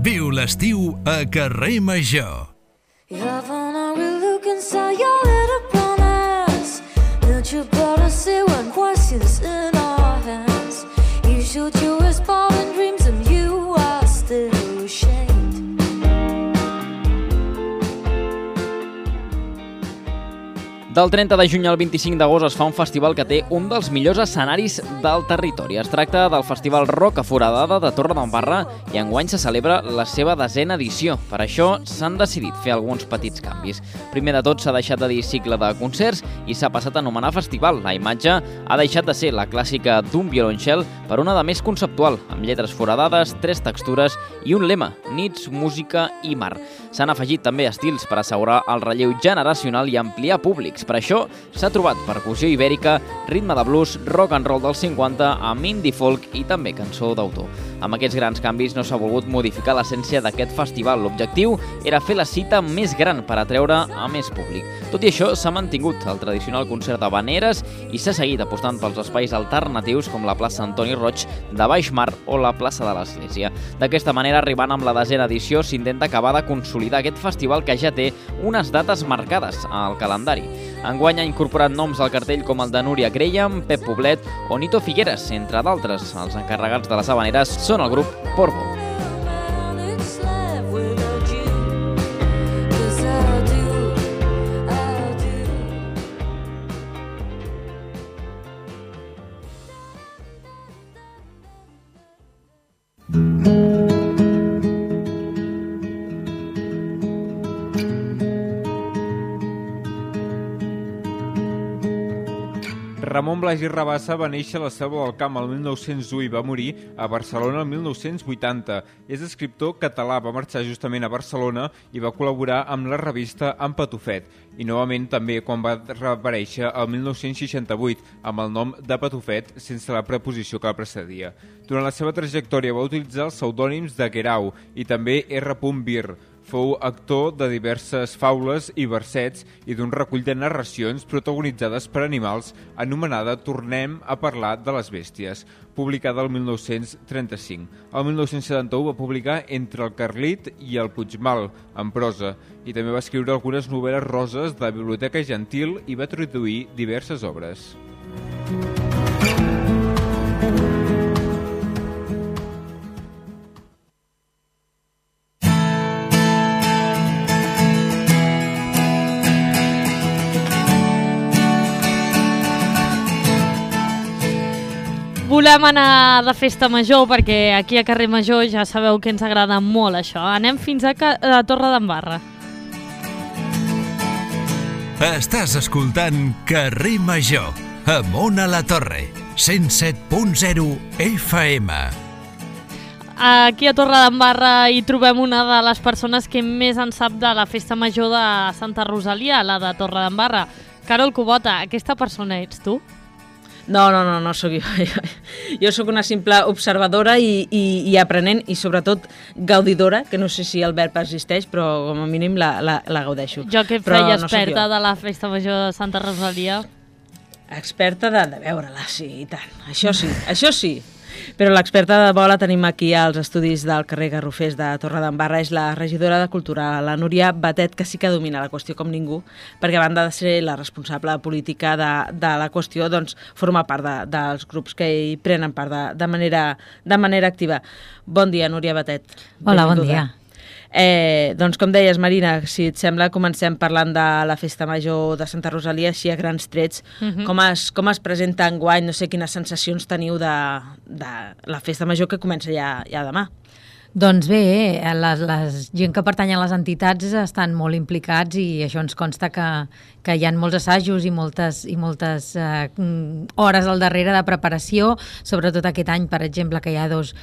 Viu l'estiu a Carrer Major. You have on a real look inside your little brown eyes. Don't you better see when voices in our hands. You shoot your respond in dreams and you are still ashamed. Del 30 de juny al 25 d'agost es fa un festival que té un dels millors escenaris del territori. Es tracta del Festival Rock a Foradada de Torredembarra i enguany se celebra la seva 10a edició. Per això s'han decidit fer alguns petits canvis. Primer de tot s'ha deixat de dir cicle de concerts i s'ha passat a anomenar festival. La imatge ha deixat de ser la clàssica d'un violoncel per una de més conceptual, amb lletres foradades, 3 textures i un lema: nits, música i mar. S'han afegit també estils per assegurar el relleu generacional i ampliar públics. Per això s'ha trobat percussió ibèrica, ritme de blues, rock and roll dels 50 amb indie folk i també cançó d'autor. Amb aquests grans canvis no s'ha volgut modificar l'essència d'aquest festival. L'objectiu era fer la cita més gran per atreure a més públic. Tot i això, s'ha mantingut el tradicional concert d'havaneres i s'ha seguit apostant pels espais alternatius com la plaça Antoni Roig de Baixmar o la plaça de l'Església. D'aquesta manera, arribant amb la 10a edició, s'intenta acabar de consolidar aquest festival que ja té unes dates marcades al calendari. Enguany ha incorporat noms al cartell com el de Núria Graham, Pep Poblet o Nito Figueres, entre d'altres. Els encarregats de les havaneres són el grup Porvo. Ramon Blasi Rabassa va néixer a la Selva del Camp el 1901 i va morir a Barcelona el 1980. És escriptor català, va marxar justament a Barcelona i va col·laborar amb la revista En Patufet. I novament també quan va reaparèixer el 1968 amb el nom de Patufet sense la preposició que el precedia. Durant la seva trajectòria va utilitzar els pseudònims de Guerau i també R. Bir. Fou actor de diverses faules i versets i d'un recull de narracions protagonitzades per animals anomenada Tornem a parlar de les bèsties, publicada el 1935. El 1971 va publicar Entre el Carlit i el Puigmal, en prosa, i també va escriure algunes novel·les roses de la Biblioteca Gentil i va traduir diverses obres. Volem anar de festa major perquè aquí a Carrer Major ja sabeu que ens agrada molt això. Anem fins a Torredembarra. Estàs escoltant Carrer Major, amb Ona La Torre, 107.0 FM. Aquí a Torredembarra hi trobem una de les persones que més en sap de la festa major de Santa Rosalia, la de Torredembarra. Carol Cubota, aquesta persona ets tu? No sóc jo. Jo sóc una simple observadora i aprenent i sobretot gaudidora, que no sé si el verb existeix, però com a mínim la gaudeixo. Jo que feia experta de la festa major de Santa Rosalia. Experta de veure-la, sí, i tant. Això sí. Però l'experta de bo la tenim aquí als estudis del carrer Garrofers de Torredembarra, és la regidora de Cultura, la Núria Batet, que sí que domina la qüestió com ningú, perquè a banda de ser la responsable política de la qüestió, doncs forma part dels grups que hi prenen part de manera activa. Bon dia, Núria Batet. Hola, bon dia. Doncs com deies, Marina, si et sembla, comencem parlant de la festa major de Santa Rosalia, així a grans trets. Com es presenta enguany? No sé quines sensacions teniu de la festa major que comença ja demà. Doncs bé, la gent que pertany a les entitats estan molt implicats i això ens consta que hi ha molts assajos i moltes hores al darrere de preparació, sobretot aquest any, per exemple, que hi ha dos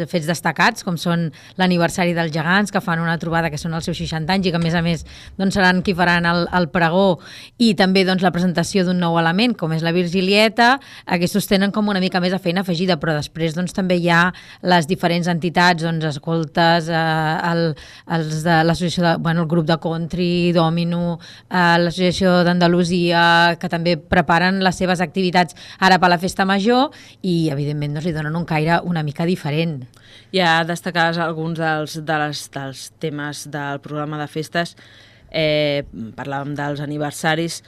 fets destacats, com són l'aniversari dels gegants, que fan una trobada que són els seus 60 anys i que, a més, doncs, seran qui faran el pregó, i també doncs, la presentació d'un nou element, com és la Virgilieta. Aquests tenen com una mica més de feina afegida, però després doncs, també hi ha les diferents entitats, doncs, escoltes, els de l'associació, el grup de country, Domino, l'associació d'Andalusia, que també preparen les seves activitats ara per la festa major i, evidentment, doncs, li donen un caire una mica diferent. Ja destacaves alguns dels temes del programa de festes, parlàvem dels aniversaris,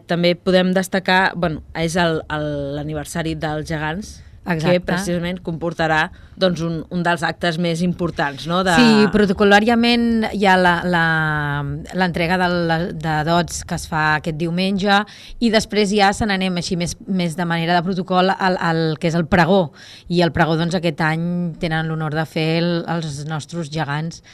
també podem destacar, és l'aniversari dels gegants, que precisament comportarà doncs, un dels actes més importants. No? Sí, protocolàriament hi ha l'entrega de dots que es fa aquest diumenge i després ja se n'anem així més de manera de protocol al que és el pregó. I el pregó doncs, aquest any tenen l'honor de fer els nostres gegants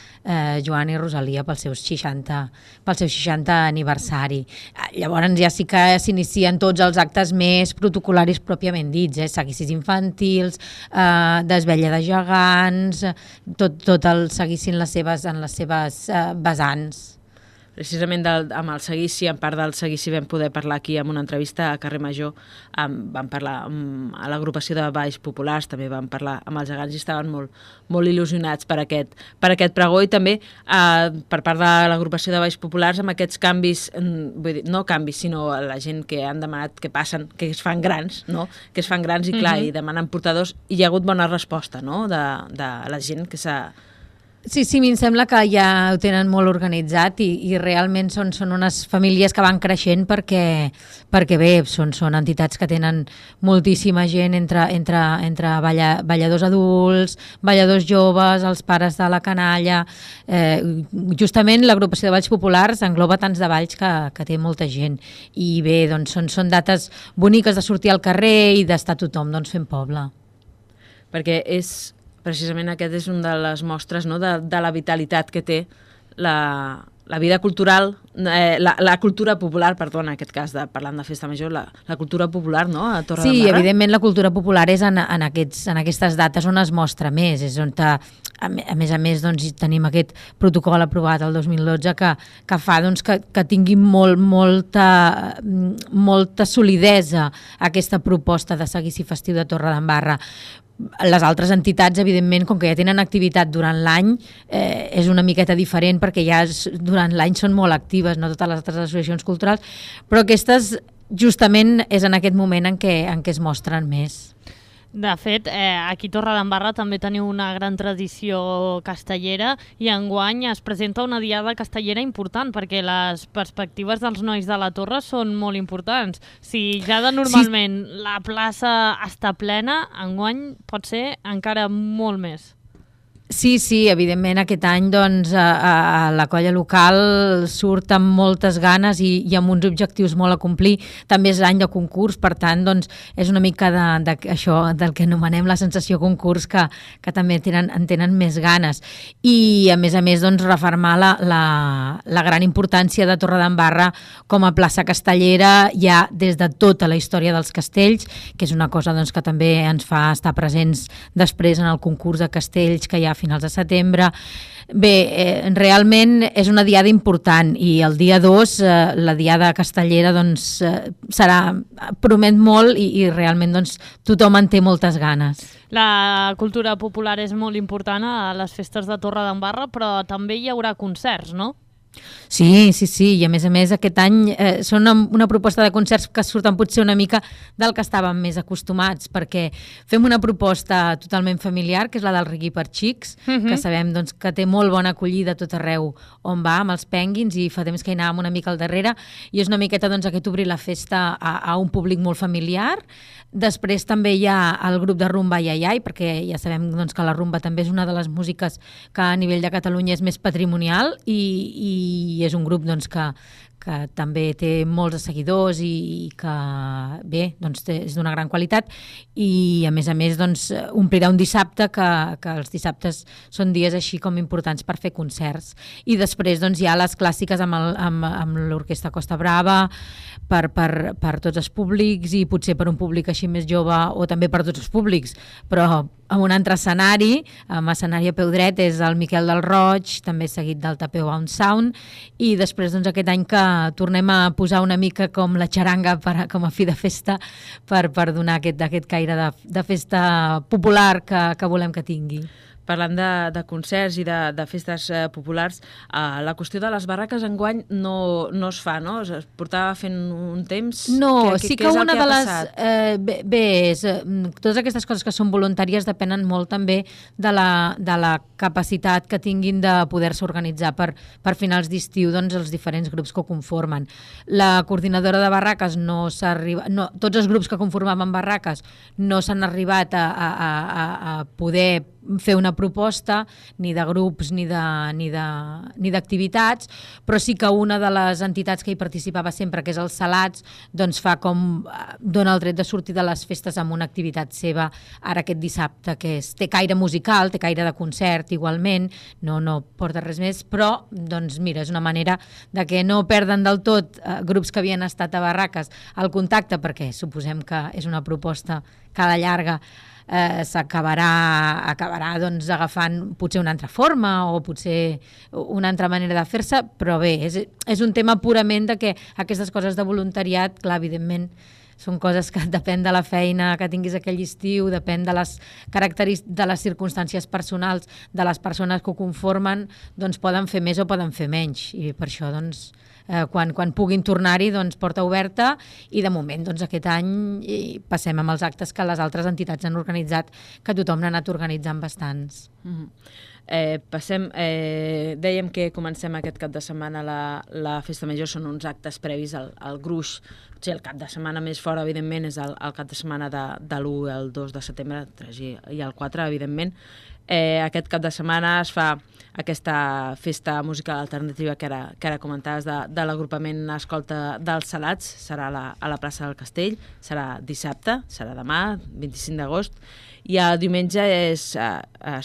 Joan i Rosalia pel seu 60 aniversari. Llavors ja sí que s'inicien tots els actes més protocolaris pròpiament dits, seguicis infantils, desvetlla de gegants, tot el seguissin en les seves vessants. precisament amb el seguici, en part del seguici vam poder parlar aquí en una entrevista a Carrer Major, vam parlar a l'agrupació de balls populars, també vam parlar amb els gegants i estaven molt il·lusionats per aquest pregó i també per part de l'agrupació de balls populars amb aquests canvis, vull dir, no canvis, sinó la gent que han demanat que passen, que es fan grans, no? Que es fan grans i clar, i demanen portadors, i hi ha hagut bona resposta, no? De la gent que s'ha... Sí, a mi em sembla que ja ho tenen molt organitzat i realment són unes famílies que van creixent perquè bé, són entitats que tenen moltíssima gent entre balladors adults, balladors joves, els pares de la canalla. Justament l'agrupació de balls populars engloba tants de balls que té molta gent. I bé, doncs són dates boniques de sortir al carrer i d'estar tothom fent poble. Perquè precisament aquest és una de les mostres, no, de la vitalitat que té la vida cultural, la cultura popular, perdó, en aquest cas, parlant de festa major, la cultura popular, no?, a Torredembarra. Sí, evidentment la cultura popular és en aquestes dates on es mostra més, és on a més doncs, tenim aquest protocol aprovat el 2012 que fa doncs, que tingui molta solidesa aquesta proposta de seguici festiu de Torredembarra. Les altres entitats, evidentment, com que ja tenen activitat durant l'any, és una miqueta diferent perquè ja durant l'any són molt actives, no totes les altres associacions culturals, però aquestes justament és en aquest moment en què es mostren més. De fet, aquí a Torredembarra també teniu una gran tradició castellera i enguany es presenta una diada castellera important perquè les perspectives dels nois de la Torre són molt importants. Si ja normalment la plaça està plena, enguany pot ser encara molt més. Sí, evidentment aquest any doncs, a la colla local surt amb moltes ganes i amb uns objectius molt a complir. També és any de concurs, per tant doncs, és una mica això del que anomenem la sensació concurs que també en tenen més ganes. I a més doncs, refermar la gran importància de Torredembarra com a plaça castellera ja des de tota la història dels castells, que és una cosa doncs, que també ens fa estar presents després en el concurs de castells que hi ha a finals de setembre. Bé, realment és una diada important i el dia 2 la diada castellera doncs, promet molt i realment doncs, tothom en té moltes ganes. La cultura popular és molt important a les festes de Torredembarra, però també hi haurà concerts, no? Sí, i a més aquest any són una proposta de concerts que surten potser una mica del que estàvem més acostumats, perquè fem una proposta totalment familiar, que és la del reggae per xics, que sabem doncs, que té molt bona acollida a tot arreu on va, amb els penguins, i fa temps que hi anàvem una mica al darrere, i és una miqueta doncs, aquest obrir la festa a un públic molt familiar. Després també hi ha el grup de rumba Iaiai, perquè ja sabem doncs, que la rumba també és una de les músiques que a nivell de Catalunya és més patrimonial i és un grup doncs, que també té molts de seguidors i que bé, doncs, és d'una gran qualitat i a més doncs, omplirà un dissabte que els dissabtes són dies així com importants per fer concerts. I després doncs, hi ha les clàssiques amb l'Orquestra Costa Brava per tots els públics i potser per un públic així més jove o també per tots els públics, però amb un altre escenari, amb escenari a peu dret, és el Miquel del Roig, també seguit del Tapeu Bound Sound, i després doncs, aquest any que tornem a posar una mica com la xaranga com a fi de festa per donar aquest caire de festa popular que volem que tingui. Parlant de concerts i de festes populars, la qüestió de les barraques enguany no es fa, no? Es portava fent un temps... No, sí que una de les... Bé, totes aquestes coses que són voluntàries depenen molt també de la capacitat que tinguin de poder-se organitzar per finals d'estiu doncs, els diferents grups que ho conformen. La coordinadora de barraques no s'ha arribat... No, tots els grups que conformaven barraques no s'han arribat a poder fer una proposta ni de grups ni d'activitats, però sí que una de les entitats que hi participava sempre, que és el Salats, doncs fa com dona el dret de sortir de les festes amb una activitat seva ara aquest dissabte, que té caire musical, té caire de concert igualment, no porta res més, però doncs mira, és una manera de que no perden del tot grups que havien estat a barraques el contacte, perquè suposem que és una proposta que a la llarga acabarà doncs, agafant potser una altra forma o potser una altra manera de fer-se, però bé, és un tema purament de que aquestes coses de voluntariat, clar, evidentment, són coses que depèn de la feina que tinguis aquell estiu, depèn de les característiques, de les circumstàncies personals de les persones que ho conformen, doncs poden fer més o poden fer menys. I per això, doncs, quan puguin tornar-hi, doncs, porta oberta, i de moment, doncs, aquest any passem amb els actes que les altres entitats han organitzat, que tothom n'ha anat organitzant bastants. Dèiem que comencem aquest cap de setmana la Festa Major, són uns actes previs al Gruix. Potser el cap de setmana més fora, evidentment, és el cap de setmana de l'1 al 2 de setembre, el 3 i el 4, evidentment. Aquest cap de setmana es fa aquesta festa musical alternativa que ara comentaves de l'agrupament Escolta dels Salats, serà a la plaça del Castell, serà dissabte, serà demà, 25 d'agost, i el diumenge es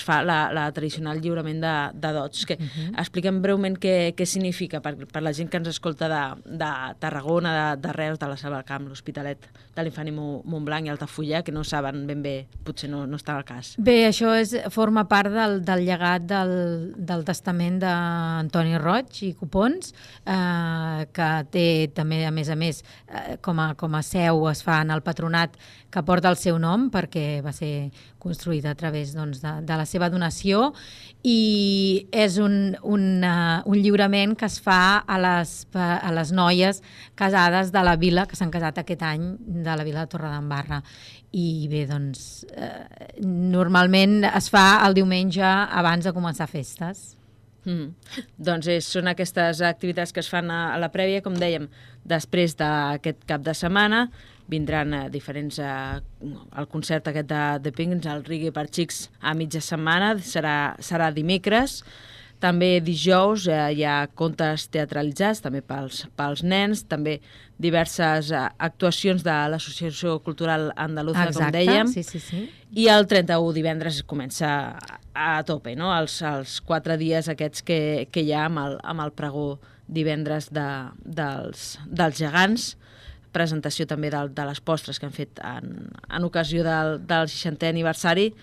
fa la tradicional lliurament de dots. Expliquem breument què significa per la gent que ens escolta de Tarragona, de Reus, de la Selva del Camp, l'Hospitalet de l'Infant i Montblanc i Altafulla, que no saben ben bé, potser no està al cas. Bé, això forma part del llegat del testament d'Antoni Roig i Copons, que té també, a més, com a seu es fa en el patronat que porta el seu nom, perquè va ser construïda a través de la seva donació, i és un lliurament que es fa a les noies casades de la vila, que s'han casat aquest any, de la vila de Torredembarra. I bé, doncs, normalment es fa el diumenge abans de començar festes. Doncs són aquestes activitats que es fan a la prèvia, com dèiem, després d'aquest cap de setmana. Vindran diferents... el concert aquest de Penguins, el Reggae per Xics, a mitja setmana, serà dimecres. També dijous hi ha contes teatralitzats, també pels nens, també diverses actuacions de l'Associació Cultural Andaluza, com dèiem. Sí. I el 31 divendres comença a tope, no? Els 4 dies aquests que hi ha amb el pregó divendres dels gegants, presentació també de les postres que han fet en ocasió del 60è aniversari.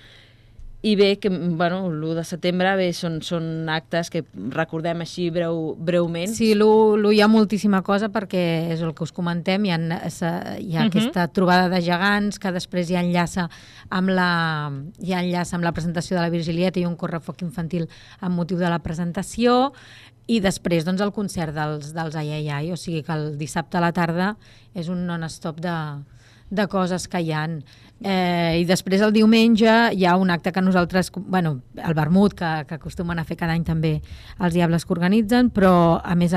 I bé, l'1 de setembre són actes que recordem així breument. Sí, l'1 hi ha moltíssima cosa, perquè és el que us comentem, hi ha aquesta trobada de gegants que després hi enllaça amb la presentació de la Virgilieta i un correfoc infantil amb motiu de la presentació, i després el concert dels Ai, o sigui que el dissabte a la tarda és un non-stop de coses que hi ha. I després el diumenge hi ha un acte que nosaltres, el vermut, que acostumen a fer cada any també els Diables que organitzen, però a més,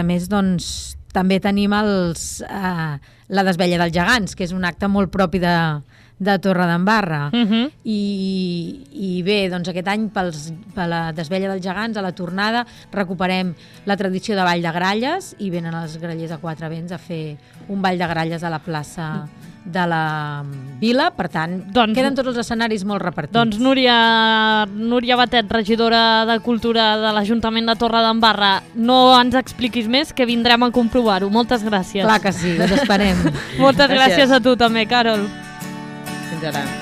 també tenim la desvella dels gegants, que és un acte molt propi de Torredembarra. I bé, aquest any per la desvella dels gegants, a la tornada, recuperem la tradició de ball de gralles i venen els grallers a quatre vents a fer un ball de gralles a la plaça de la vila. Per tant, queden tots els escenaris molt repartits. Doncs Núria Batet, regidora de Cultura de l'Ajuntament de Torredembarra, no ens expliquis més, que vindrem a comprovar-ho. Moltes gràcies. Clar que sí, us esperem. Moltes gràcies a tu també, Carol. Fins ara.